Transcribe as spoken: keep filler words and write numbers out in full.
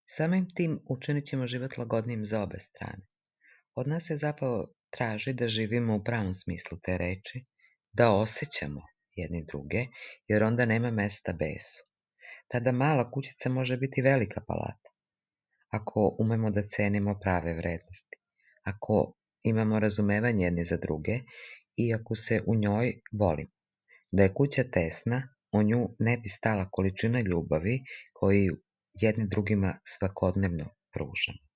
Samim tim učinit ćemo život lagodnijim za obe strane. Od nas se zapravo traži da živimo u pravom smislu te reči, da osjećamo jedni druge, jer onda nema mesta besu. Tada mala kućica može biti velika palata, ako umemo da cenimo prave vrednosti, ako imamo razumevanje jedni za druge i ako se u njoj volimo. Da je kuća tesna, u nju ne bi stala količina ljubavi koju jedni drugima svakodnevno pružamo.